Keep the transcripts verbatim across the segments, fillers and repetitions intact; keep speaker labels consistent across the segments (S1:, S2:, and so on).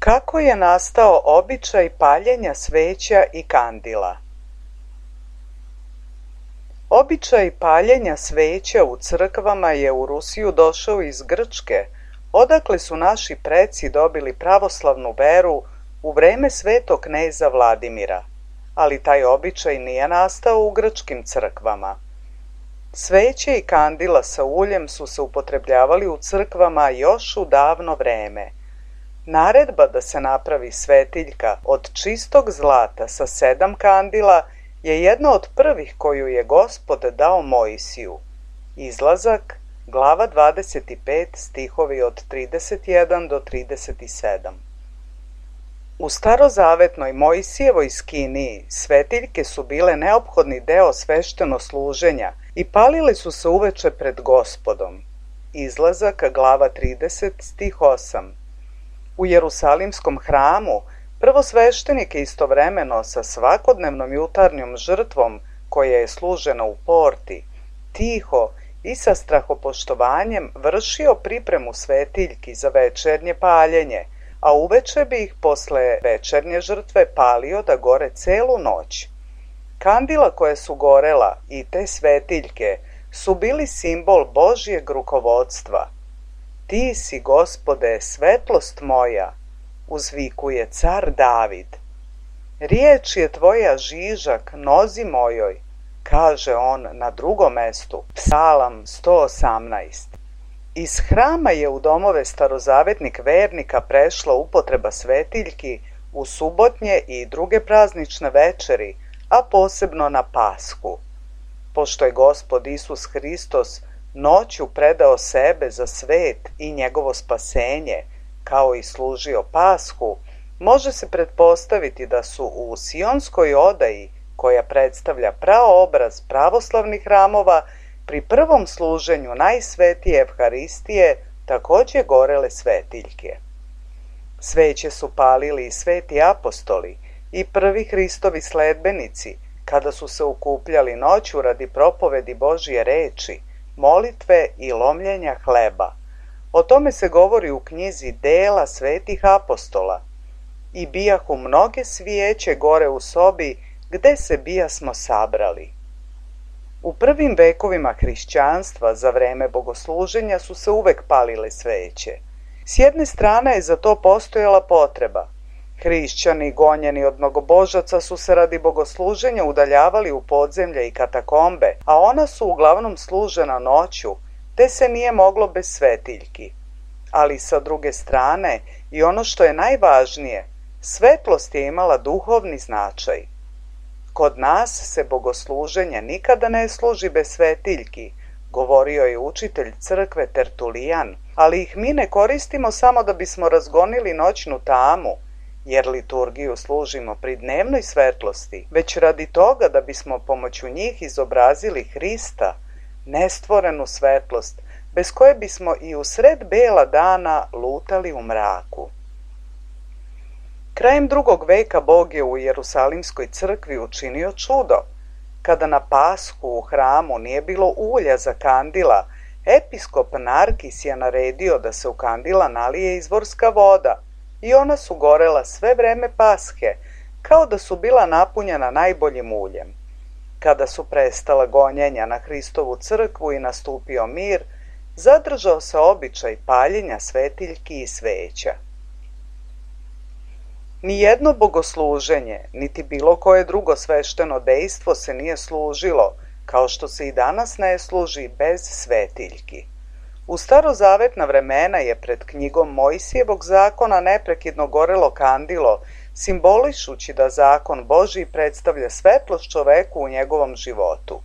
S1: Kako je nastao običaj paljenja sveća i kandila? Običaj paljenja sveća u crkvama je u Rusiju došao iz Grčke, odakle su naši preci dobili pravoslavnu veru u vreme svetog kneza Vladimira, ali taj običaj nije nastao u grčkim crkvama. Sveće i kandila sa uljem su se upotrebljavali u crkvama još u davno vreme. Naredba da se napravi svetiljka od čistog zlata sa sedam kandila je jedna od prvih koju je Gospod dao Mojsiju. Izlazak, glava dvadeset pet, stihovi od trideset jedan do trideset sedam. U starozavetnoj Mojsijevoj skiniji svetiljke su bile neophodni deo sveštenosluženja i palile su se uveče pred Gospodom. Izlazak, glava trideset, stih osam. U Jerusalimskom hramu prvosveštenik je istovremeno sa svakodnevnom jutarnjom žrtvom koja je služena u porti, tiho i sa strahopoštovanjem vršio pripremu svetiljki za večernje paljenje, a uveče bi ih posle večernje žrtve palio da gore celu noć. Kandila koje su gorela i te svetiljke su bili simbol Božjeg rukovodstva. Ti si, Gospode, svetlost moja, uzvikuje car David. Riječ je tvoja žižak nozi mojoj, kaže on na drugom mestu, Psalam sto osamnaest. Iz hrama je u domove starozavetnih vernika prešla upotreba svetiljki u subotnje i druge praznične večeri, a posebno na Pashu. Pošto je Gospod Isus Hristos noću predao sebe za svet i njegovo spasenje, kao i služio Pashu, može se pretpostaviti da su u sionskoj odaji, koja predstavlja praobraz pravoslavnih hramova, pri prvom služenju najsvetije Evharistije takođe gorele svetiljke. Sveće su palili i sveti apostoli i prvi Hristovi sledbenici, kada su se okupljali noću radi propovedi Božje reči, molitve i lomljenja hleba. O tome se govori u knjizi Dela svetih apostola. I bijahu mnoge svijeće gore u sobi, gde se bijasmo sabrali. U prvim vekovima hrišćanstva za vreme bogosluženja su se uvek palile sveće. S jedne strane je za to postojala potreba. Hrišćani gonjeni od mnogobožaca su se radi bogosluženja udaljavali u podzemlje i katakombe, a ona su uglavnom služena noću, te se nije moglo bez svetiljki. Ali sa druge strane, i ono što je najvažnije, svetlost je imala duhovni značaj. Kod nas se bogosluženje nikada ne služi bez svetiljki, govorio je učitelj crkve Tertulijan, ali ih mi ne koristimo samo da bismo razgonili noćnu tamu, jer liturgiju služimo pri dnevnoj svetlosti, već radi toga da bismo pomoću njih izobrazili Hrista, nestvorenu svetlost, bez koje bismo i u sred bela dana lutali u mraku. Krajem drugog veka Bog je u Jerusalimskoj crkvi učinio čudo. Kada na Pashu u hramu nije bilo ulja za kandila, episkop Narkis je naredio da se u kandila nalije izvorska voda i ona su gorela sve vreme Pashe, kao da su bila napunjena najboljim uljem. Kada su prestala gonjenja na Hristovu crkvu i nastupio mir, zadržao se običaj paljenja svetiljki i sveća. Nijedno bogosluženje, niti bilo koje drugo svešteno dejstvo se nije služilo, kao što se i danas ne služi bez svetiljki. U starozavetna vremena je pred knjigom Mojsijevog zakona neprekidno gorelo kandilo, simbolišući da zakon Božji predstavlja svetlost čoveku u njegovom životu.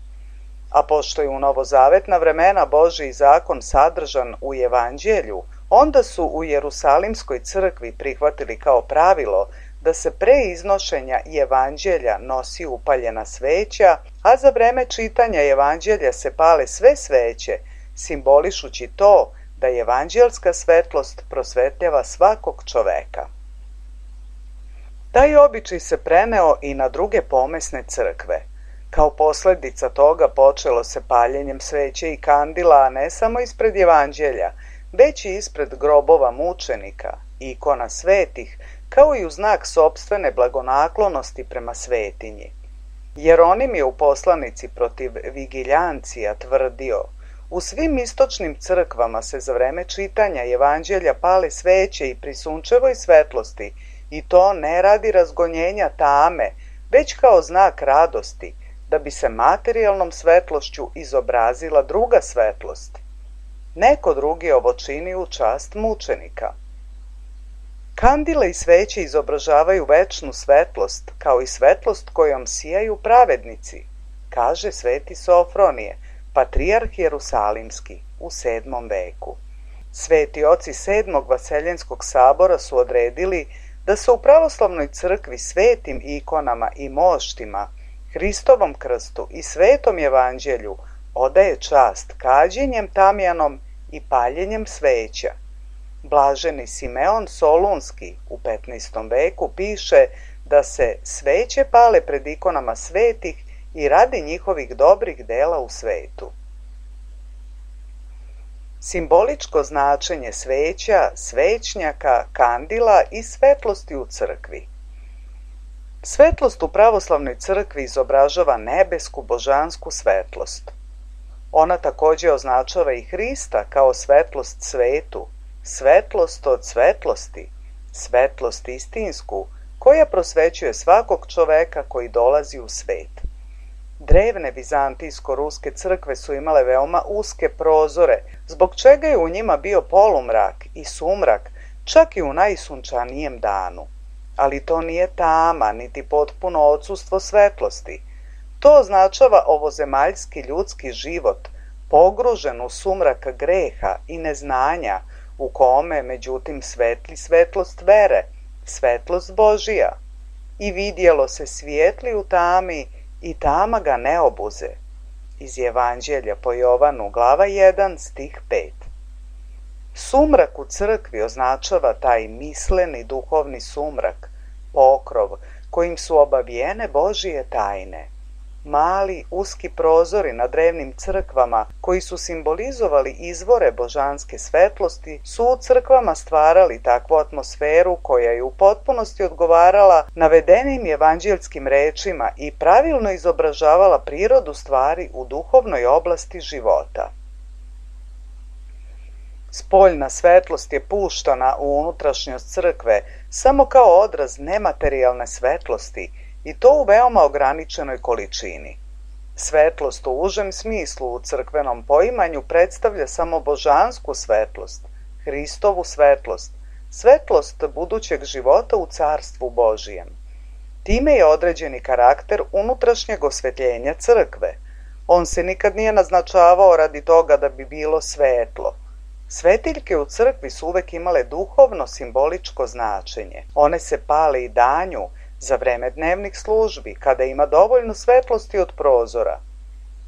S1: A pošto je u novozavetna vremena Božji zakon sadržan u Evanđelju, onda su u Jerusalimskoj crkvi prihvatili kao pravilo da se pre iznošenja Evanđelja nosi upaljena sveća, a za vreme čitanja Evanđelja se pale sve sveće, simbolišući to da evanđelska svetlost prosvetljava svakog čoveka. Taj običaj se preneo i na druge pomesne crkve. Kao posledica toga počelo se paljenjem sveće i kandila, a ne samo ispred Evanđelja, već i ispred grobova mučenika, ikona svetih, kao i u znak sopstvene blagonaklonosti prema svetinji. Jeronim je u poslanici protiv Vigiljancija tvrdio: u svim istočnim crkvama se za vreme čitanja evanđelja pale sveće i pri sunčevoj svetlosti, i to ne radi razgonjenja tame, već kao znak radosti, da bi se materijalnom svetlošću izobrazila druga svetlost. Neko drugi ovo čini u čast mučenika. Kandile i sveće izobražavaju večnu svetlost, kao i svetlost kojom sijaju pravednici, kaže sveti Sofronije, patrijarh Jerusalimski, u sedmom veku. Sveti oci sedmog Vaseljenskog sabora su odredili da se u pravoslavnoj crkvi svetim ikonama i moštima, Hristovom krstu i svetom evanđelju odaje čast kađenjem tamjanom i paljenjem sveća. Blaženi Simeon Solunski u petnaestom veku piše da se sveće pale pred ikonama svetih i radi njihovih dobrih dela u svetu. Simboličko značenje sveća, svećnjaka, kandila i svetlosti u crkvi. Svetlost u pravoslavnoj crkvi izobražava nebesku božansku svetlost. Ona također označava i Hrista kao svetlost svetu, svetlost od svetlosti, svetlost istinsku, koja prosvećuje svakog čoveka koji dolazi u svet. Drevne vizantijsko-ruske crkve su imale veoma uske prozore, zbog čega je u njima bio polumrak i sumrak, čak i u najsunčanijem danu. Ali to nije tama, niti potpuno odsustvo svetlosti. To označava ovozemaljski ljudski život, pogružen u sumrak greha i neznanja, u kome, međutim, svetli svetlost vere, svetlost Božija. I vidjelo se svijetli u tami, i tama ga ne obuze. Iz Evanđelja po Jovanu, glava jedan, stih pet. Sumrak u crkvi označava taj misleni duhovni sumrak, pokrov, kojim su obavijene Božije tajne. Mali, uski prozori na drevnim crkvama, koji su simbolizovali izvore božanske svetlosti, su u crkvama stvarali takvu atmosferu koja je u potpunosti odgovarala navedenim evanđelskim rečima i pravilno izobražavala prirodu stvari u duhovnoj oblasti života. Spoljna svetlost je puštana u unutrašnjost crkve samo kao odraz nematerijalne svetlosti, i to u veoma ograničenoj količini. Svetlost u užem smislu u crkvenom poimanju predstavlja samo božansku svetlost, Hristovu svetlost, svetlost budućeg života u carstvu Božijem. Time je određeni karakter unutrašnjeg osvetljenja crkve. On se nikad nije naznačavao radi toga da bi bilo svetlo. Svetiljke u crkvi su uvek imale duhovno simboličko značenje. One se pale i danju, za vreme dnevnih službi, kada ima dovoljno svetlosti od prozora.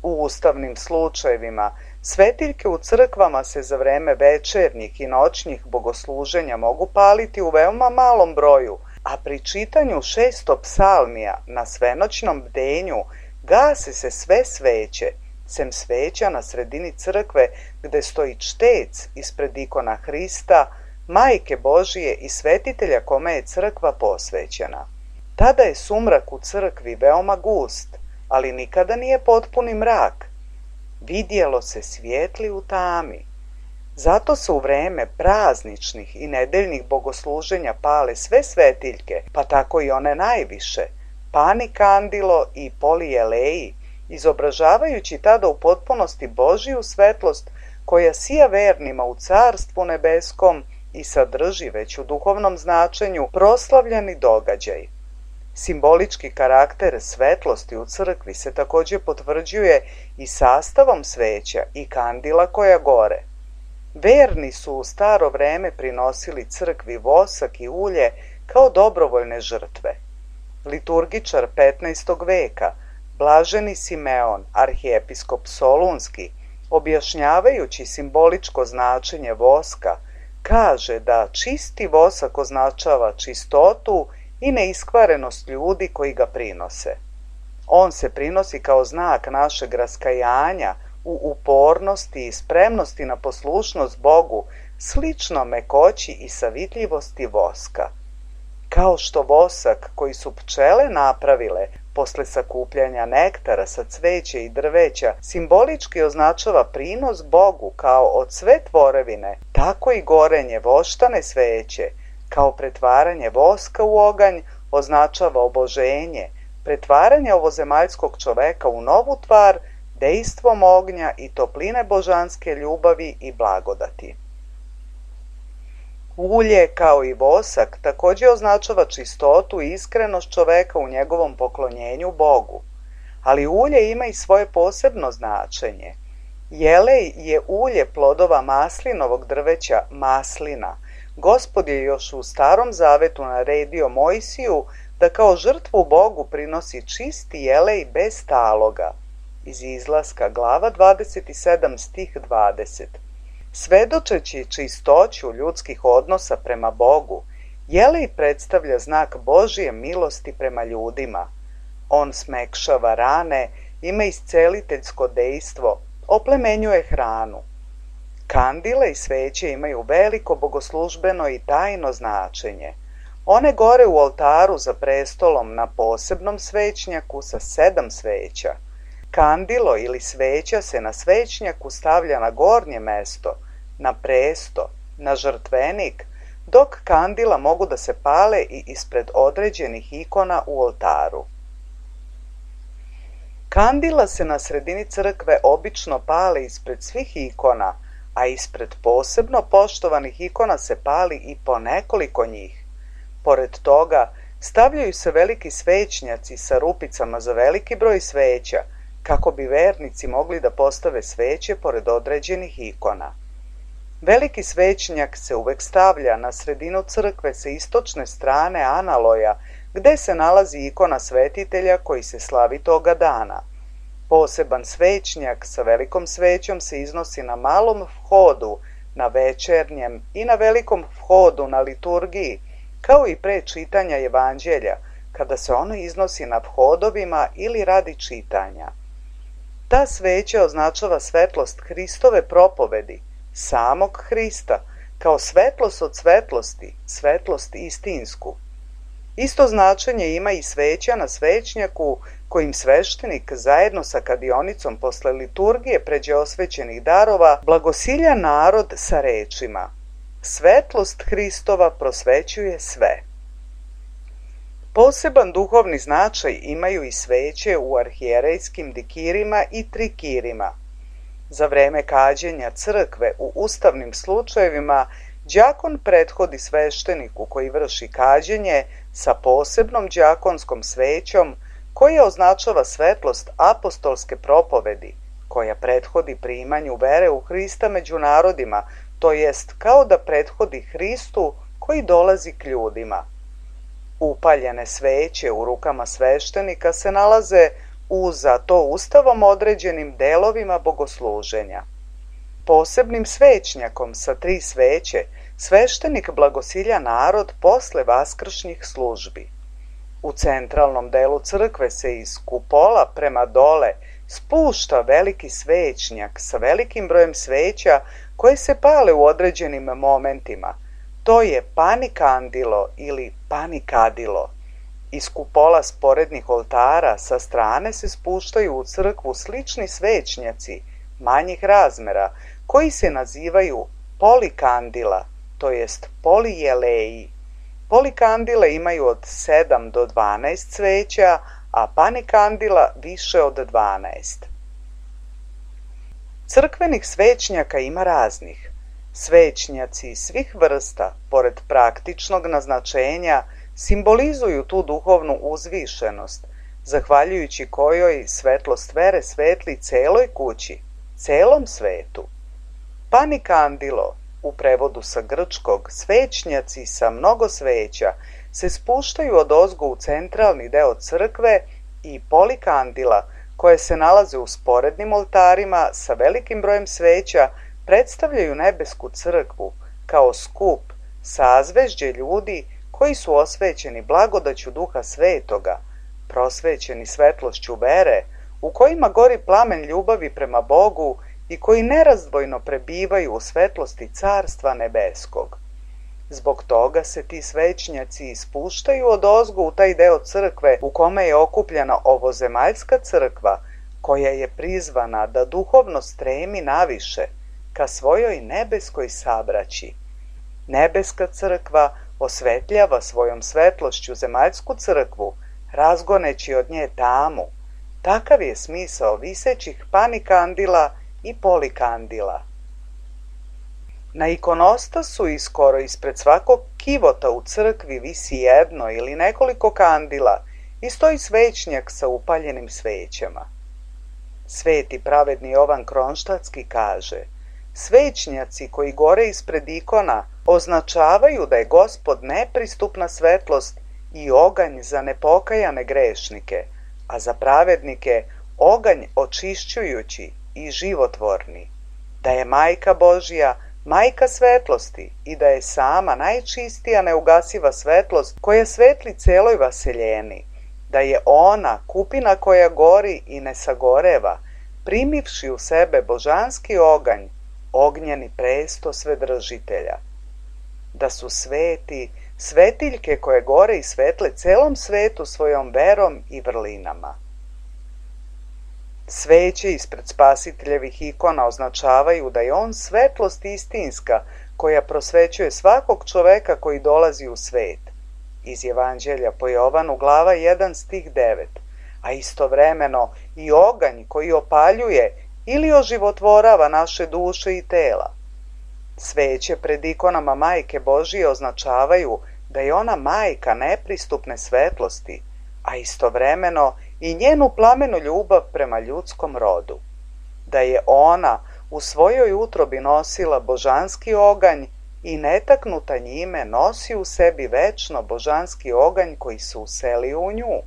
S1: U ustavnim slučajevima, svetiljke u crkvama se za vreme večernjih i noćnih bogosluženja mogu paliti u veoma malom broju, a pri čitanju šesto psalmija na svenoćnom bdenju gase se sve sveće, sem sveća na sredini crkve gde stoji čtec ispred ikona Hrista, Majke Božije i svetitelja kome je crkva posvećena. Tada je sumrak u crkvi veoma gust, ali nikada nije potpuni mrak. Vidjelo se svijetli u tami. Zato se u vreme prazničnih i nedeljnih bogosluženja pale sve svetiljke, pa tako i one najviše, pani kandilo i polijeleji, izobražavajući tada u potpunosti Božiju svetlost koja sija vernima u carstvu nebeskom i sadrži već u duhovnom značenju proslavljeni događaj. Simbolički karakter svetlosti u crkvi se također potvrđuje i sastavom sveća i kandila koja gore. Verni su u staro vreme prinosili crkvi vosak i ulje kao dobrovoljne žrtve. Liturgičar petnaestog veka, blaženi Simeon, arhijepiskop Solunski, objašnjavajući simboličko značenje voska, kaže da čisti vosak označava čistotu i neiskvarenost ljudi koji ga prinose. On se prinosi kao znak našeg raskajanja u upornosti i spremnosti na poslušnost Bogu slično mekoći i savitljivosti voska. Kao što vosak koji su pčele napravile posle sakupljanja nektara sa cveća i drveća simbolički označava prinos Bogu kao od sve tvorevine, tako i gorenje voštane sveće, kao pretvaranje voska u oganj, označava oboženje, pretvaranje ovozemaljskog čoveka u novu tvar, dejstvom ognja i topline božanske ljubavi i blagodati. Ulje, kao i vosak, također označava čistotu i iskrenost čoveka u njegovom poklonjenju Bogu. Ali ulje ima i svoje posebno značenje. Jelej je ulje plodova maslinovog drveća maslina. Gospod je još u Starom zavetu naredio Mojsiju da kao žrtvu Bogu prinosi čisti jelej bez taloga. Iz Izlaska, glava dvadeset sedam, stih dvadeset. Svedočeći čistoću ljudskih odnosa prema Bogu, jelej predstavlja znak Božje milosti prema ljudima. On smekšava rane, ima isceliteljsko dejstvo, oplemenjuje hranu. Kandile i sveće imaju veliko bogoslužbeno i tajno značenje. One gore u oltaru za prestolom na posebnom svećnjaku sa sedam sveća. Kandilo ili sveća se na svećnjaku stavlja na gornje mesto, na presto, na žrtvenik, dok kandila mogu da se pale i ispred određenih ikona u oltaru. Kandila se na sredini crkve obično pale ispred svih ikona, a ispred posebno poštovanih ikona se pali i po nekoliko njih. Pored toga, stavljaju se veliki svećnjaci sa rupicama za veliki broj sveća, kako bi vernici mogli da postave sveće pored određenih ikona. Veliki svećnjak se uvek stavlja na sredinu crkve sa istočne strane analoja, gde se nalazi ikona svetitelja koji se slavi toga dana. Poseban svećnjak sa velikom svećom se iznosi na malom vhodu, na večernjem i na velikom vhodu na liturgiji, kao i pre čitanja evanđelja, kada se ono iznosi na vhodovima ili radi čitanja. Ta sveća označava svetlost Hristove propovedi, samog Hrista, kao svetlost od svetlosti, svetlost istinsku. Isto značenje ima i sveća na svećnjaku kojim sveštenik zajedno sa kadionicom posle liturgije pređe osvećenih darova blagosilja narod sa rečima: Svetlost Hristova prosvećuje sve. Poseban duhovni značaj imaju i sveće u arhijerejskim dikirima i trikirima. Za vreme kađenja crkve u ustavnim slučajevima đakon prethodi svešteniku koji vrši kađenje sa posebnom đakonskom svećom koja označava svetlost apostolske propovedi, koja prethodi primanju vere u Hrista među narodima, to jest kao da prethodi Hristu koji dolazi k ljudima. Upaljene sveće u rukama sveštenika se nalaze u za to ustavom određenim delovima bogosluženja. Posebnim svećnjakom sa tri sveće sveštenik blagosilja narod posle vaskršnjih službi. U centralnom delu crkve se iz kupola prema dole spušta veliki svećnjak sa velikim brojem sveća koje se pale u određenim momentima. To je panikandilo ili panikadilo. Iz kupola sporednih oltara sa strane se spuštaju u crkvu slični svećnjaci manjih razmera koji se nazivaju polikandila, to jest polijeleji. Polikandile imaju od sedam do dvanaest sveća, a panikandila više od dvanaest. Crkvenih svećnjaka ima raznih. Svećnjaci svih vrsta, pored praktičnog naznačenja, simbolizuju tu duhovnu uzvišenost, zahvaljujući kojoj svetlost vere svetli celoj kući, celom svetu. Panikandilo, u prevodu sa grčkog svećnjaci sa mnogo sveća, se spuštaju od ozgo u centralni deo crkve i polikandila, koje se nalaze u sporednim oltarima sa velikim brojem sveća, predstavljaju nebesku crkvu kao skup, sazvežđe ljudi koji su osvećeni blagodaću Duha Svetoga, prosvećeni svetlošću vere, u kojima gori plamen ljubavi prema Bogu i koji nerazdvojno prebivaju u svetlosti Carstva nebeskog. Zbog toga se ti svećnjaci ispuštaju odozgo u taj deo crkve u kome je okupljena ovozemaljska crkva, koja je prizvana da duhovno stremi naviše ka svojoj nebeskoj sabraći. Nebeska crkva osvetljava svojom svetlošću zemaljsku crkvu, razgoneći od nje tamu. Takav je smisao visećih panikandila i polikandila. Na ikonostasu i skoro ispred svakog kivota u crkvi visi jedno ili nekoliko kandila i stoji svećnjak sa upaljenim svećama. Sveti pravedni Jovan Kronštatski kaže: svećnjaci koji gore ispred ikona označavaju da je Gospod nepristupna svetlost i oganj za nepokajane grešnike, a za pravednike oganj očišćujući i životvorni, da je Majka Božja Majka svetlosti i da je sama najčistija neugasiva svetlost koja svetli celoj vaseljeni, da je ona kupina koja gori i ne sagoreva, primivši u sebe božanski oganj, ognjeni presto svedržitelja, da su sveti, svetiljke koje gore i svetle celom svetu svojom verom i vrlinama. Sveće ispred spasiteljevih ikona označavaju da je on svetlost istinska koja prosvećuje svakog čoveka koji dolazi u svet. Iz Evanđelja po Jovanu glava jedan stih devet, a istovremeno i oganj koji opaljuje ili oživotvorava naše duše i tela. Sveće pred ikonama Majke Božije označavaju da je ona majka nepristupne svetlosti, a istovremeno i njenu plamenu ljubav prema ljudskom rodu, da je ona u svojoj utrobi nosila božanski oganj i netaknuta njime nosi u sebi večno božanski oganj koji se uselio u nju.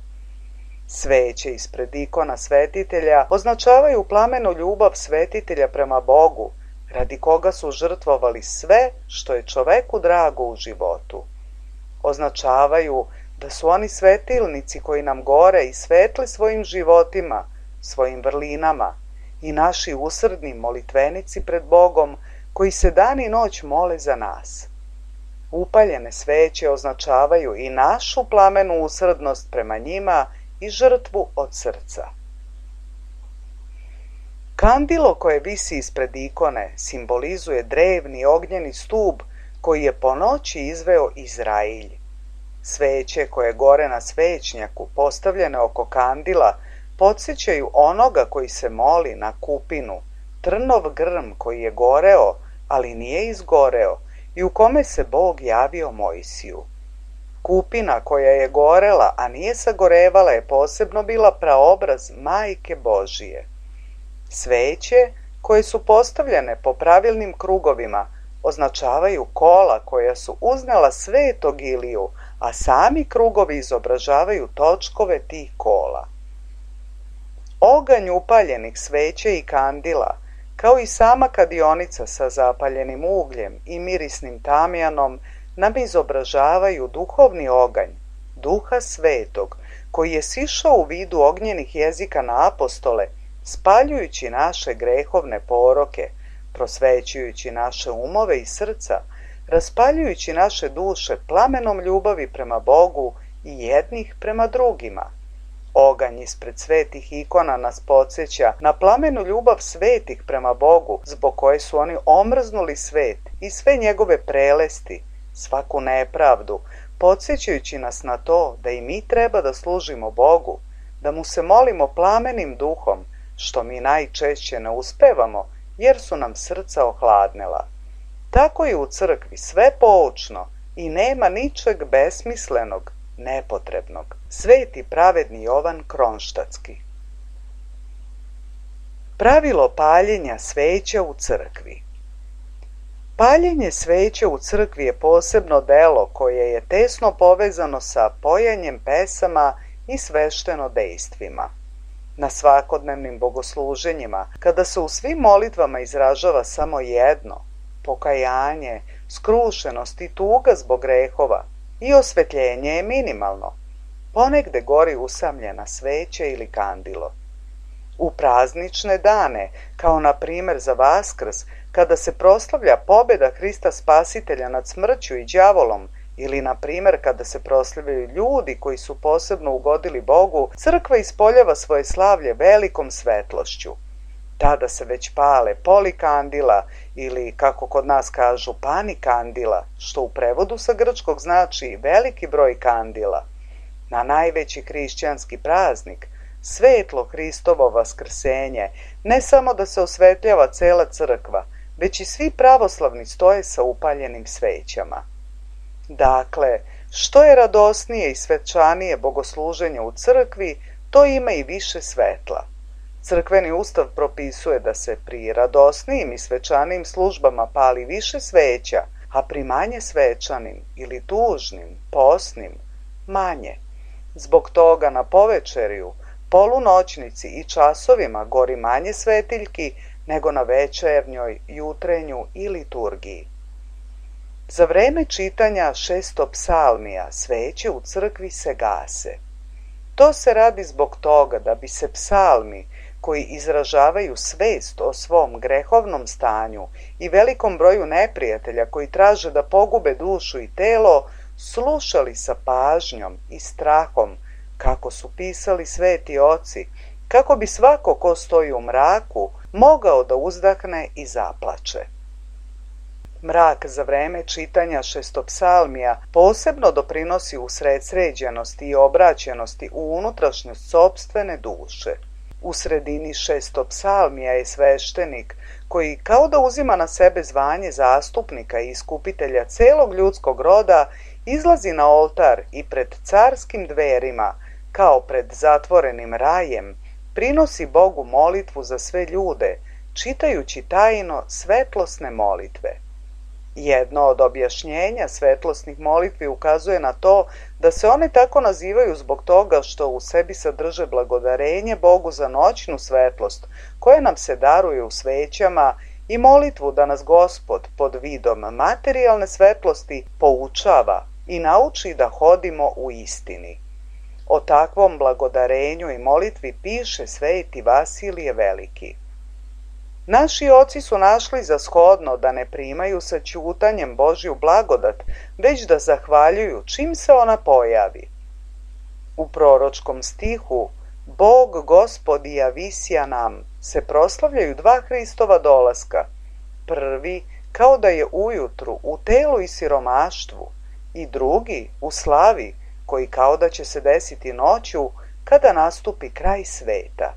S1: Sveće ispred ikona svetitelja označavaju plamenu ljubav svetitelja prema Bogu, radi koga su žrtvovali sve što je čoveku drago u životu. Označavaju da su oni svetilnici koji nam gore i svetle svojim životima, svojim vrlinama i naši usrdni molitvenici pred Bogom koji se dan i noć mole za nas. Upaljene sveće označavaju i našu plamenu usrdnost prema njima i žrtvu od srca. Kandilo koje visi ispred ikone simbolizuje drevni ognjeni stub koji je po noći izveo Izrailj. Sveće koje gore na svećnjaku postavljene oko kandila podsjećaju onoga koji se moli na kupinu, trnov grm koji je goreo, ali nije izgoreo i u kome se Bog javio Mojsiju. Kupina koja je gorela, a nije sagorevala, je posebno bila praobraz Majke Božije. Sveće koje su postavljene po pravilnim krugovima označavaju kola koja su uznela svetog Iliju, a sami krugovi izobražavaju točkove tih kola. Oganj upaljenih sveća i kandila, kao i sama kadionica sa zapaljenim ugljem i mirisnim tamjanom, nam izobražavaju duhovni oganj, Duha Svetog, koji je sišao u vidu ognjenih jezika na apostole, spaljujući naše grehovne poroke, prosvećujući naše umove i srca, raspaljujući naše duše plamenom ljubavi prema Bogu i jednih prema drugima. Oganj ispred svetih ikona nas podsjeća na plamenu ljubav svetih prema Bogu, zbog koje su oni omrznuli svet i sve njegove prelesti, svaku nepravdu, podsjećajući nas na to da i mi treba da služimo Bogu, da mu se molimo plamenim duhom, što mi najčešće ne uspevamo, jer su nam srca ohladnela. Tako je u crkvi sve poučno i nema ničeg besmislenog, nepotrebnog. Sveti pravedni Jovan Kronštatski. Pravilo paljenja sveća u crkvi. Paljenje sveća u crkvi je posebno delo koje je tesno povezano sa pojanjem pesama i svešteno dejstvima. Na svakodnevnim bogosluženjima, kada se u svim molitvama izražava samo jedno, pokajanje, skrušenost i tuga zbog grehova, i osvetljenje je minimalno, ponegde gori usamljena sveća ili kandilo. U praznične dane, kao na primjer za Vaskrs, kada se proslavlja pobjeda Hrista Spasitelja nad smrću i đavolom, ili na primjer kada se proslavljaju ljudi koji su posebno ugodili Bogu, crkva ispoljava svoje slavlje velikom svetlošću. Tada se već pale polikandila ili, kako kod nas kažu, panikandila, što u prevodu sa grčkog znači veliki broj kandila. Na najveći hrišćanski praznik, svetlo Hristovo vaskrsenje, ne samo da se osvetljava cela crkva, već i svi pravoslavni stoje sa upaljenim svećama. Dakle, što je radosnije i svečanije bogosluženje u crkvi, to ima i više svetla. Crkveni ustav propisuje da se pri radosnijim i svečanijim službama pali više sveća, a pri manje svečanim ili tužnim, posnim, manje. Zbog toga na povečeriju, polunoćnici i časovima gori manje svetiljki nego na večernjoj, jutrenju i liturgiji. Za vreme čitanja šestopsalmija sveće u crkvi se gase. To se radi zbog toga da bi se psalmi, koji izražavaju svest o svom grehovnom stanju i velikom broju neprijatelja koji traže da pogube dušu i telo, slušali sa pažnjom i strahom, kako su pisali sveti oci, kako bi svako ko stoji u mraku mogao da uzdahne i zaplače. Mrak za vreme čitanja šestopsalmija posebno doprinosi usredsređenosti i obraćenosti u unutrašnjost sopstvene duše. U sredini šestopsalmija je sveštenik koji kao da uzima na sebe zvanje zastupnika i iskupitelja celog ljudskog roda, izlazi na oltar i pred carskim dverima, kao pred zatvorenim rajem, prinosi Bogu molitvu za sve ljude, čitajući tajno svetlosne molitve. Jedno od objašnjenja svetlosnih molitvi ukazuje na to da se one tako nazivaju zbog toga što u sebi sadrže blagodarenje Bogu za noćnu svetlost koja nam se daruje u svećama i molitvu da nas Gospod pod vidom materijalne svetlosti poučava i nauči da hodimo u istini. O takvom blagodarenju i molitvi piše sveti Vasilije Veliki. Naši oci su našli za shodno da ne primaju sa ćutanjem Božju blagodat, već da zahvaljuju čim se ona pojavi. U proročkom stihu Bog Gospod javisja nam se proslavljaju dva Hristova dolaska. Prvi kao da je ujutru u telu i siromaštvu i drugi u slavi koji kao da će se desiti noću kada nastupi kraj sveta.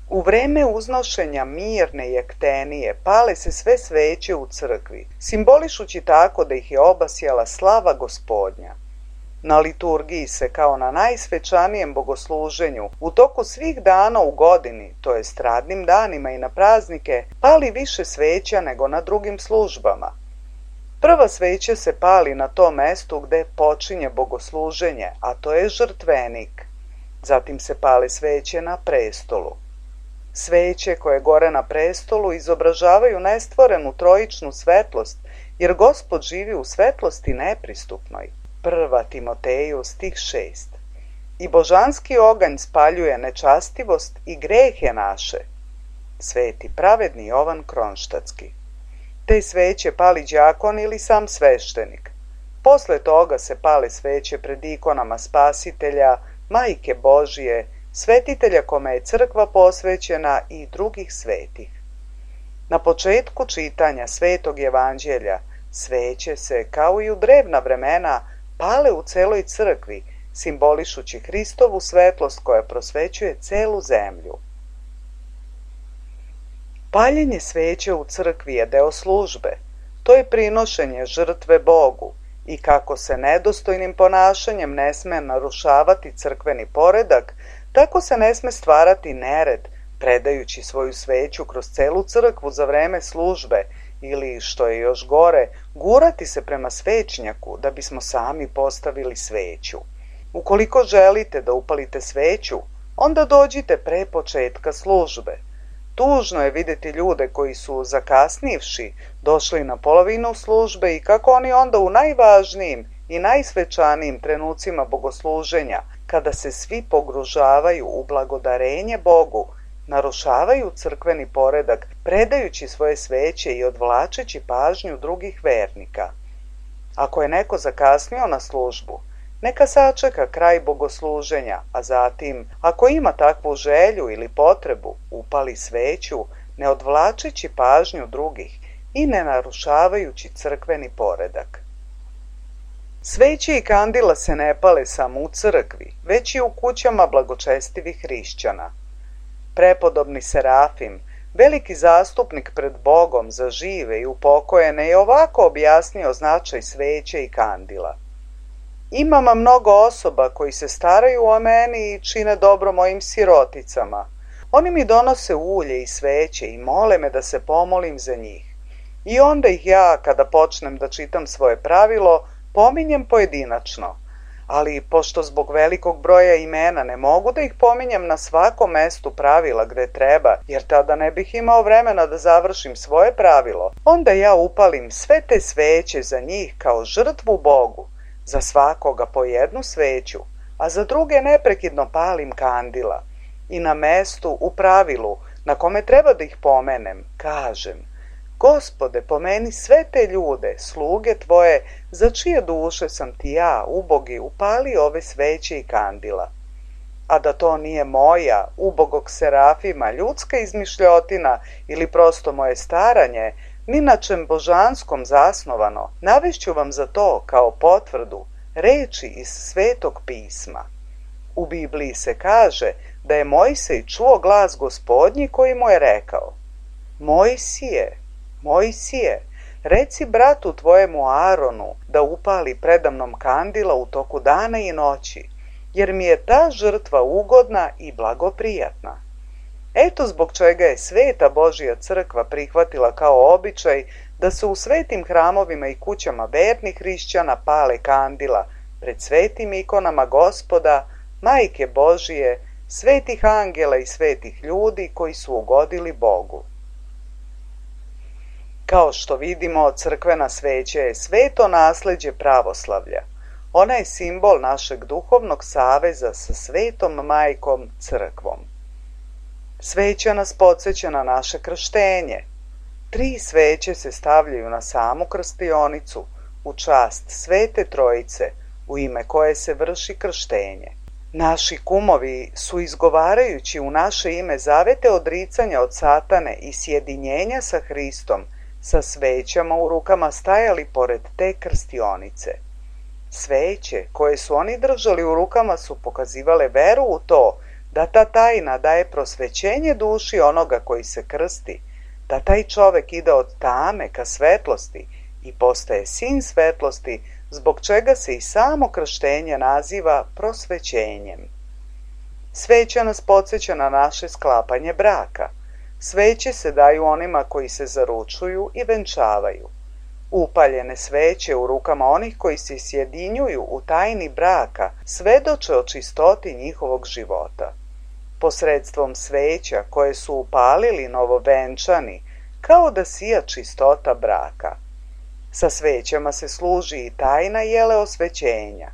S1: U vreme uznošenja mirne jektenije pale se sve sveće u crkvi, simbolišući tako da ih je obasjala slava Gospodnja. Na liturgiji se kao na najsvečanijem bogosluženju u toku svih dana u godini, to jest radnim danima i na praznike, pali više sveća nego na drugim službama. Prva sveća se pali na tom mestu gde počinje bogosluženje, a to je žrtvenik. Zatim se pale sveće na prestolu. Sveće koje gore na prestolu izobražavaju nestvorenu trojičnu svetlost, jer Gospod živi u svetlosti nepristupnoj. Prva Timoteju stih šest. I božanski oganj spaljuje nečastivost i grehe naše. Sveti pravedni Jovan Kronštatski. Te sveće pali đakon ili sam sveštenik. Posle toga se pale sveće pred ikonama Spasitelja, Majke Božije, svetitelja kome je crkva posvećena i drugih svetih. Na početku čitanja Svetog evanđelja sveće se, kao i u drevna vremena, pale u celoj crkvi, simbolišući Hristovu svetlost koja prosvećuje celu zemlju. Paljenje sveće u crkvi je deo službe. To je prinošenje žrtve Bogu i kako se nedostojnim ponašanjem ne sme narušavati crkveni poredak, tako se ne sme stvarati nered, predajući svoju sveću kroz celu crkvu za vreme službe ili, što je još gore, gurati se prema svećnjaku da bismo sami postavili sveću. Ukoliko želite da upalite sveću, onda dođite pre početka službe. Tužno je vidjeti ljude koji su, zakasnivši, došli na polovinu službe i kako oni onda u najvažnijim i najsvečanijim trenucima bogosluženja, kada se svi pogružavaju u blagodarenje Bogu, narušavaju crkveni poredak, predajući svoje sveće i odvlačeći pažnju drugih vernika. Ako je neko zakasnio na službu, neka sačeka kraj bogosluženja, a zatim, ako ima takvu želju ili potrebu, upali sveću, ne odvlačeći pažnju drugih i ne narušavajući crkveni poredak. Sveće i kandila se ne pale samo u crkvi, već i u kućama blagočestivih hrišćana. Prepodobni Serafim, veliki zastupnik pred Bogom za žive i upokojene, je ovako objasnio značaj sveće i kandila. Imam mnogo osoba koji se staraju o meni i čine dobro mojim siroticama. Oni mi donose ulje i sveće i mole me da se pomolim za njih. I onda ih ja, kada počnem da čitam svoje pravilo, pominjem pojedinačno. Ali pošto zbog velikog broja imena ne mogu da ih pominjem na svakom mestu pravila gde treba, jer tada ne bih imao vremena da završim svoje pravilo, onda ja upalim sve te sveće za njih kao žrtvu Bogu, za svakoga po jednu sveću, a za druge neprekidno palim kandila. I na mestu, u pravilu, na kome treba da ih pomenem, kažem: Gospode, pomeni sve te ljude, sluge tvoje, za čije duše sam ti ja, ubogi, upali ove sveće i kandila. A da to nije moja, ubogog Serafima, ljudska izmišljotina ili prosto moje staranje, ni na čem božanskom zasnovano, navešću vam za to kao potvrdu reči iz Svetog pisma. U Bibliji se kaže da je Mojsej čuo glas Gospodnji koji mu je rekao: Mojsije, Mojsije, reci bratu tvojemu Aaronu da upali predamnom kandila u toku dana i noći, jer mi je ta žrtva ugodna i blagoprijatna. Eto zbog čega je Sveta Božja crkva prihvatila kao običaj da se u svetim hramovima i kućama vernih hrišćana pale kandila pred svetim ikonama Gospoda, Majke Božije, svetih angela i svetih ljudi koji su ugodili Bogu. Kao što vidimo, crkvena sveća je sveto nasleđe pravoslavlja. Ona je simbol našeg duhovnog saveza sa Svetom Majkom Crkvom. Sveća nas podsjeća na naše krštenje. Tri sveće se stavljaju na samu krstionicu, u čast Svete Trojice, u ime koje se vrši krštenje. Naši kumovi su, izgovarajući u naše ime zavete odricanja od satane i sjedinjenja sa Hristom, sa svećama u rukama stajali pored te krstionice. Sveće koje su oni držali u rukama su pokazivale veru u to da ta tajna daje prosvećenje duši onoga koji se krsti, da taj čovek ide od tame ka svetlosti i postaje sin svetlosti, zbog čega se i samo krštenje naziva prosvećenjem. Sveća nas podsjeća na naše sklapanje braka. Sveće se daju onima koji se zaručuju i venčavaju. Upaljene sveće u rukama onih koji se sjedinjuju u tajni braka svedoče o čistoti njihovog života. Posredstvom sveća koje su upalili novovenčani, kao da sija čistota braka. Sa svećama se služi i tajna jele osvećenja.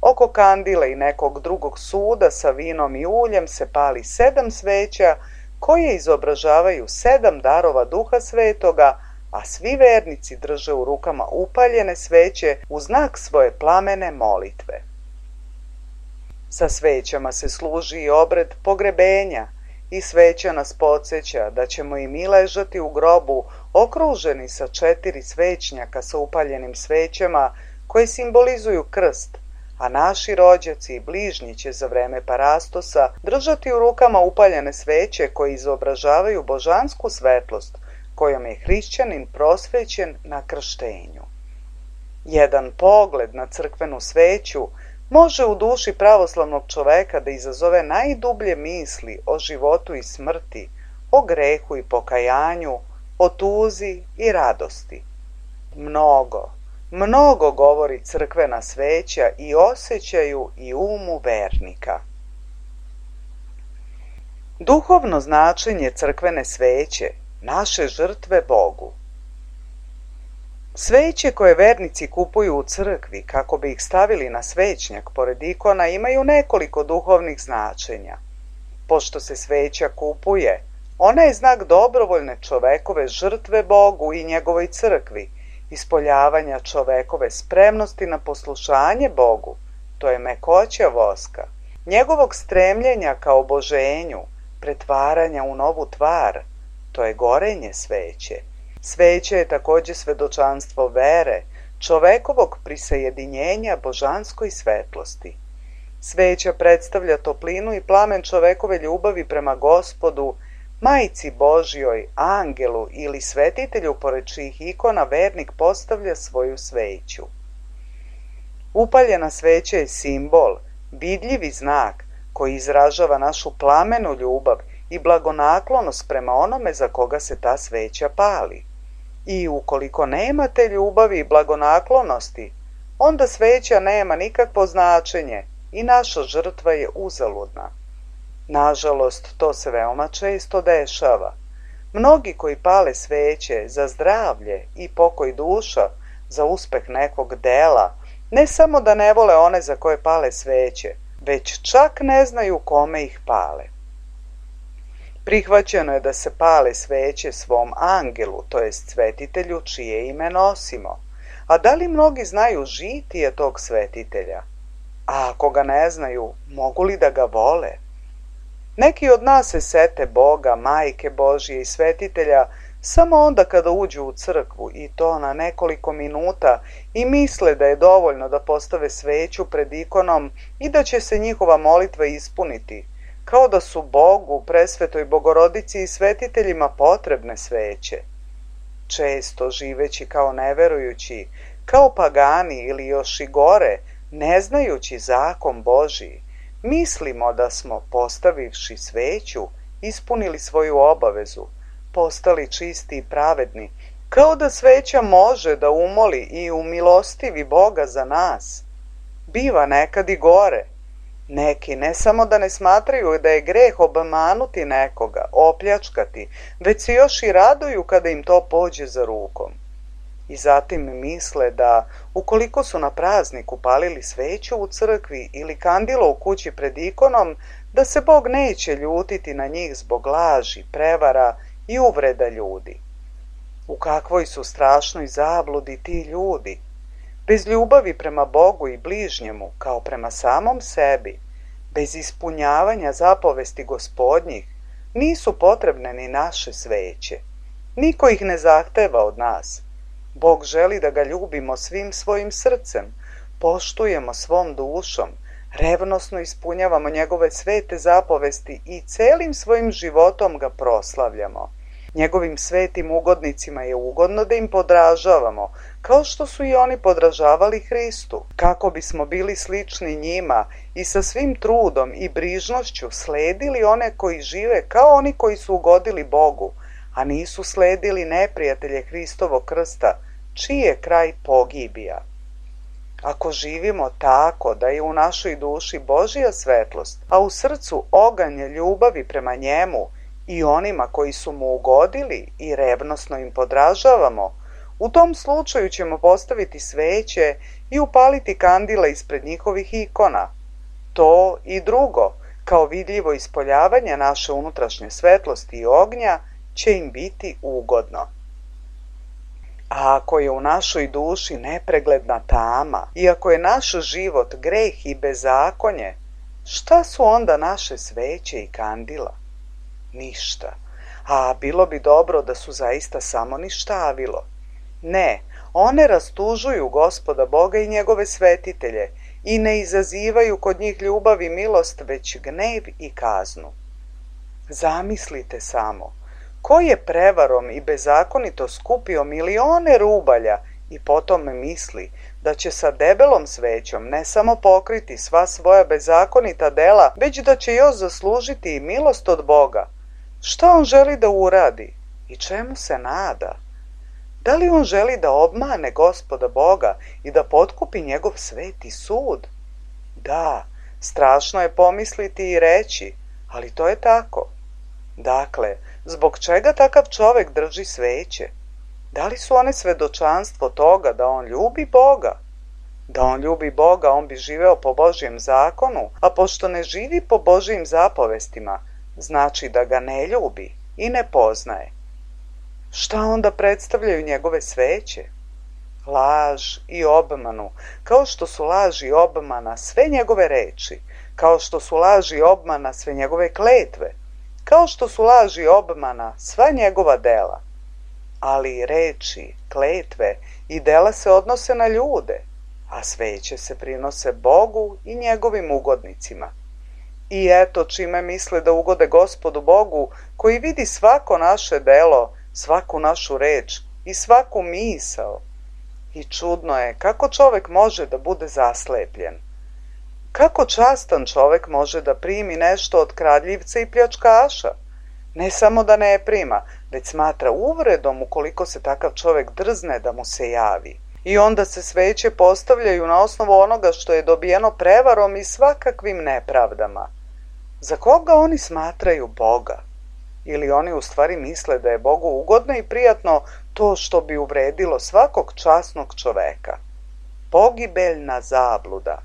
S1: Oko kandile i nekog drugog suda sa vinom i uljem se pali sedam sveća koje izobražavaju sedam darova Duha Svetoga, a svi vernici drže u rukama upaljene sveće u znak svoje plamene molitve. Sa svećama se služi i obred pogrebenja i sveća nas podsjeća da ćemo i mi ležati u grobu okruženi sa četiri svećnjaka sa upaljenim svećama koje simbolizuju krst, a naši rođaci i bližnji će za vreme parastosa držati u rukama upaljene sveće koje izobražavaju božansku svetlost kojom je hrišćanin prosvećen na krštenju. Jedan pogled na crkvenu sveću može u duši pravoslavnog čoveka da izazove najdublje misli o životu i smrti, o grehu i pokajanju, o tuzi i radosti. Mnogo, mnogo govori crkvena sveća i osjećaju i umu vernika. Duhovno značenje crkvene sveće, naše žrtve Bogu. Sveće koje vernici kupuju u crkvi kako bi ih stavili na svećnjak pored ikona imaju nekoliko duhovnih značenja. Pošto se sveća kupuje, ona je znak dobrovoljne čovekove žrtve Bogu i njegovoj crkvi, ispoljavanja čovekove spremnosti na poslušanje Bogu, to je mekoća voska, njegovog stremljenja ka oboženju, pretvaranja u novu tvar, to je gorenje sveće. Sveće je takođe svedočanstvo vere, čovekovog prisajedinjenja božanskoj svetlosti. Sveća predstavlja toplinu i plamen čovekove ljubavi prema Gospodu, Majci Božjoj, angelu ili svetitelju pored čijih ikona vernik postavlja svoju sveću. Upaljena sveća je simbol, vidljivi znak koji izražava našu plamenu ljubav i blagonaklonost prema onome za koga se ta sveća pali. I ukoliko nema te ljubavi i blagonaklonosti, onda sveća nema nikakvo značenje i naša žrtva je uzaludna. Nažalost, to se veoma često dešava. Mnogi koji pale sveće za zdravlje i pokoj duša, za uspeh nekog dela, ne samo da ne vole one za koje pale sveće, već čak ne znaju kome ih pale. Prihvaćeno je da se pale sveće svom angelu, to jest svetitelju čije ime nosimo. A da li mnogi znaju žitije tog svetitelja? A ako ga ne znaju, mogu li da ga vole? Neki od nas se sete Boga, Majke Božje i svetitelja samo onda kada uđu u crkvu i to na nekoliko minuta i misle da je dovoljno da postave sveću pred ikonom i da će se njihova molitva ispuniti, kao da su Bogu, Presvetoj Bogorodici i svetiteljima potrebne sveće. Često živeći kao neverujući, kao pagani ili još i gore, ne znajući zakon Božiji, mislimo da smo, postavivši sveću, ispunili svoju obavezu, postali čisti i pravedni, kao da sveća može da umoli i umilostivi Boga za nas. Biva nekad i gore. Neki ne samo da ne smatraju da je greh obmanuti nekoga, opljačkati, već se još i raduju kada im to pođe za rukom. I zatim misle da, ukoliko su na prazniku palili sveću u crkvi ili kandilo u kući pred ikonom, da se Bog neće ljutiti na njih zbog laži, prevara i uvreda ljudi. U kakvoj su strašnoj zabludi ti ljudi? Bez ljubavi prema Bogu i bližnjemu, kao prema samom sebi, bez ispunjavanja zapovesti Gospodnjih, nisu potrebne ni naše sveće. Niko ih ne zahteva od nas. Bog želi da ga ljubimo svim svojim srcem, poštujemo svom dušom, revnosno ispunjavamo njegove svete zapovesti i celim svojim životom ga proslavljamo. Njegovim svetim ugodnicima je ugodno da im podražavamo, kao što su i oni podražavali Hristu, kako bismo bili slični njima i sa svim trudom i brižnošću sledili one koji žive kao oni koji su ugodili Bogu, a nisu sledili neprijatelje Hristovog krsta, čiji je kraj pogibija. Ako živimo tako da je u našoj duši Božja svetlost, a u srcu oganj ljubavi prema njemu i onima koji su mu ugodili i revnosno im podražavamo, u tom slučaju ćemo postaviti sveće i upaliti kandila ispred njihovih ikona. To i drugo, kao vidljivo ispoljavanje naše unutrašnje svetlosti i ognja, će im biti ugodno. A ako je u našoj duši nepregledna tama i ako je naš život greh i bezakonje, šta su onda naše sveće i kandila? Ništa. A bilo bi dobro da su zaista samo ništavilo. Ne, one rastužuju Gospoda Boga i njegove svetitelje i ne izazivaju kod njih ljubav i milost, već gnev i kaznu. Zamislite samo, ko je prevarom i bezakonito skupio milione rubalja i potom misli da će sa debelom svećom ne samo pokriti sva svoja bezakonita dela, već da će još zaslužiti i milost od Boga. Šta on želi da uradi i čemu se nada? Da li on želi da obmane Gospoda Boga i da potkupi njegov sveti sud? Da, strašno je pomisliti i reći, ali to je tako. Dakle, zbog čega takav čovek drži sveće? Da li su one svedočanstvo toga da on ljubi Boga? Da on ljubi Boga, on bi živeo po Božjem zakonu, a pošto ne živi po Božjim zapovestima, znači da ga ne ljubi i ne poznaje. Šta onda predstavljaju njegove sveće? Laž i obmanu, kao što su laž i obmana sve njegove reči, kao što su laž i obmana sve njegove kletve, kao što su laž i obmana sva njegova dela. Ali reči, kletve i dela se odnose na ljude, a sveće se prinose Bogu i njegovim ugodnicima. I eto čime misle da ugode Gospodu Bogu, koji vidi svako naše delo, svaku našu reč i svaku misao. I čudno je kako čovek može da bude zaslepljen. Kako častan čovek može da primi nešto od kradljivca i pljačkaša? Ne samo da ne prima, već smatra uvredom ukoliko se takav čovek drzne da mu se javi. I onda se sveće postavljaju na osnovu onoga što je dobijeno prevarom i svakakvim nepravdama. Za koga oni smatraju Boga? Ili oni u stvari misle da je Bogu ugodno i prijatno to što bi uvredilo svakog časnog čoveka? Pogibeljna zabluda.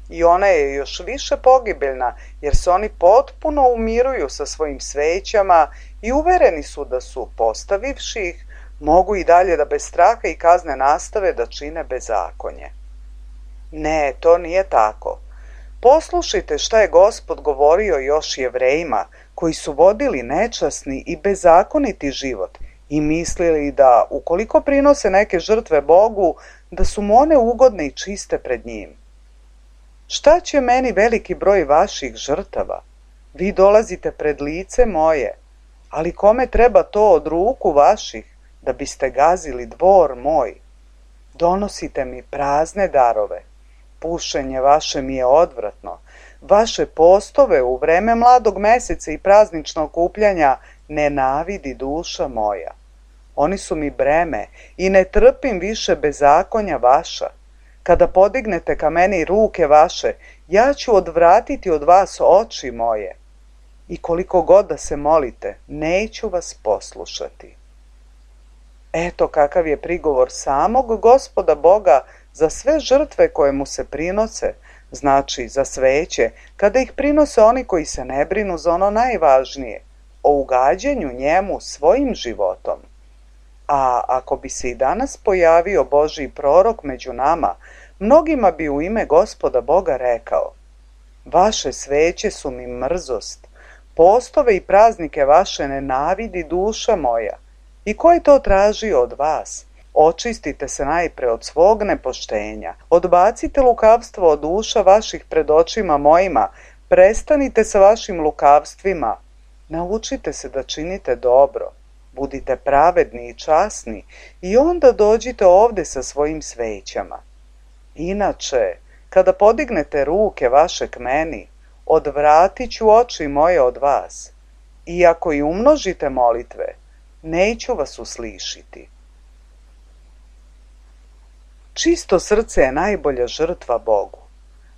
S1: I ona je još više pogibeljna jer se oni potpuno umiruju sa svojim svećama i uvereni su da su, postavivši ih, mogu i dalje da bez straha i kazne nastave da čine bezakonje. Ne, to nije tako. Poslušajte šta je Gospod govorio još Jevrejima, koji su vodili nečasni i bezakoniti život i mislili da, ukoliko prinose neke žrtve Bogu, da su mu one ugodne i čiste pred njim. Šta će meni veliki broj vaših žrtava? Vi dolazite pred lice moje, ali kome treba to od ruku vaših, da biste gazili dvor moj? Donosite mi prazne darove. Pušenje vaše mi je odvratno. Vaše postove u vreme mladog meseca i prazničnog okupljanja nenavidi duša moja. Oni su mi breme i ne trpim više bezakonja vaša. Kada podignete ka meni ruke vaše, ja ću odvratiti od vas oči moje. I koliko god da se molite, neću vas poslušati. Eto kakav je prigovor samog Gospoda Boga za sve žrtve koje mu se prinose, znači za sveće, kada ih prinose oni koji se ne brinu za ono najvažnije, o ugađanju njemu svojim životom. A ako bi se i danas pojavio Božji prorok među nama, mnogima bi u ime Gospoda Boga rekao: vaše sveće su mi mrzost, postove i praznike vaše nenavidi duša moja. I ko je to tražio od vas? Očistite se najpre od svog nepoštenja, odbacite lukavstvo od duša vaših pred očima mojima, prestanite sa vašim lukavstvima, naučite se da činite dobro, budite pravedni i časni i onda dođite ovde sa svojim svećama. Inače, kada podignete ruke vaše k meni, odvratit ću oči moje od vas, i ako i umnožite molitve, neću vas uslišiti. Čisto srce je najbolja žrtva Bogu.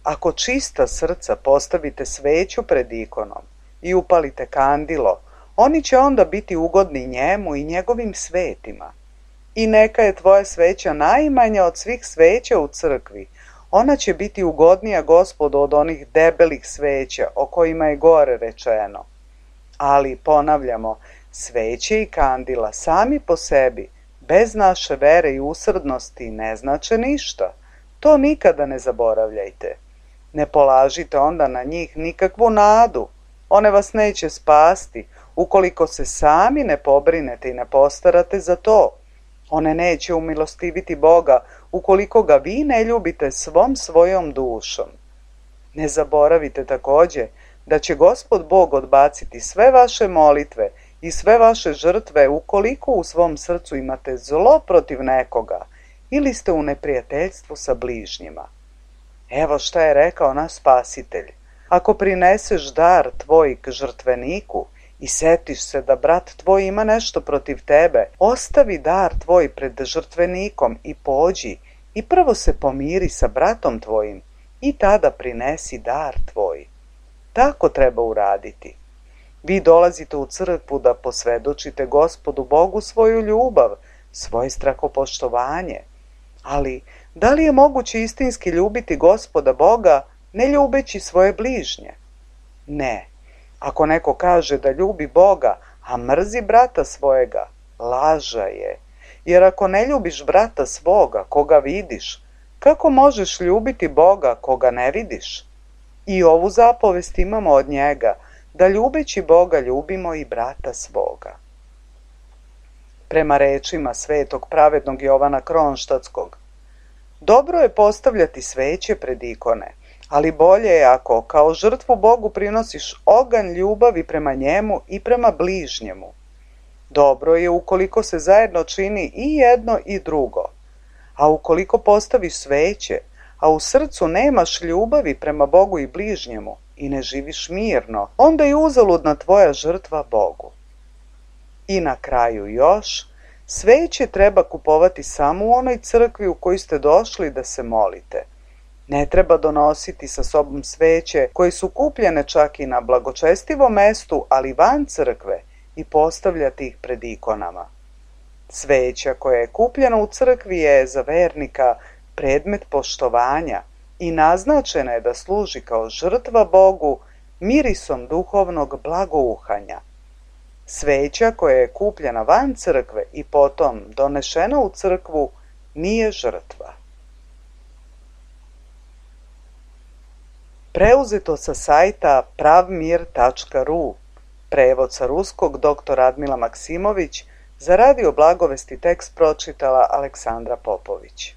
S1: Ako čista srca postavite sveću pred ikonom i upalite kandilo, oni će onda biti ugodni njemu i njegovim svetima. I neka je tvoja sveća najmanja od svih sveća u crkvi, ona će biti ugodnija Gospodu od onih debelih sveća o kojima je gore rečeno. Ali, ponavljamo, sveće i kandila sami po sebi, bez naše vere i usrdnosti, ne znače ništa. To nikada ne zaboravljajte. Ne polažite onda na njih nikakvu nadu. One vas neće spasti, ukoliko se sami ne pobrinete i ne postarate za to. One neće umilostiviti Boga, ukoliko ga vi ne ljubite svom svojom dušom. Ne zaboravite takođe da će Gospod Bog odbaciti sve vaše molitve i sve vaše žrtve ukoliko u svom srcu imate zlo protiv nekoga ili ste u neprijateljstvu sa bližnjima. Evo šta je rekao naš Spasitelj: ako prineseš dar tvoj k žrtveniku i setiš se da brat tvoj ima nešto protiv tebe, ostavi dar tvoj pred žrtvenikom i pođi i prvo se pomiri sa bratom tvojim i tada prinesi dar tvoj. Tako treba uraditi. Vi dolazite u crkvu da posvedočite Gospodu Bogu svoju ljubav, svoje strahopoštovanje. Ali, da li je moguće istinski ljubiti Gospoda Boga, ne ljubeći svoje bližnje? Ne. Ako neko kaže da ljubi Boga, a mrzi brata svojega, laža je. Jer ako ne ljubiš brata svoga, koga vidiš, kako možeš ljubiti Boga koga ne vidiš? I ovu zapovest imamo od njega, da ljubeći Boga ljubimo i brata svoga. Prema rečima svetog pravednog Jovana Kronštatskog, dobro je postavljati sveće pred ikone, ali bolje je ako kao žrtvu Bogu prinosiš oganj ljubavi prema njemu i prema bližnjemu. Dobro je ukoliko se zajedno čini i jedno i drugo, a ukoliko postaviš sveće, a u srcu nemaš ljubavi prema Bogu i bližnjemu i ne živiš mirno, onda je uzaludna tvoja žrtva Bogu. I na kraju još, sveće treba kupovati samo u onoj crkvi u kojoj ste došli da se molite. Ne treba donositi sa sobom sveće koje su kupljene čak i na blagočestivom mestu, ali van crkve, i postavljati ih pred ikonama. Sveća koja je kupljena u crkvi je za vernika predmet poštovanja i naznačena je da služi kao žrtva Bogu mirisom duhovnog blagouhanja. Sveća koja je kupljena van crkve i potom donešena u crkvu nije žrtva. Preuzeto sa sajta pravmir tačka ru, prevod sa ruskog dr. Radmila Maksimović, za Radio Blagovesti tekst pročitala Aleksandra Popović.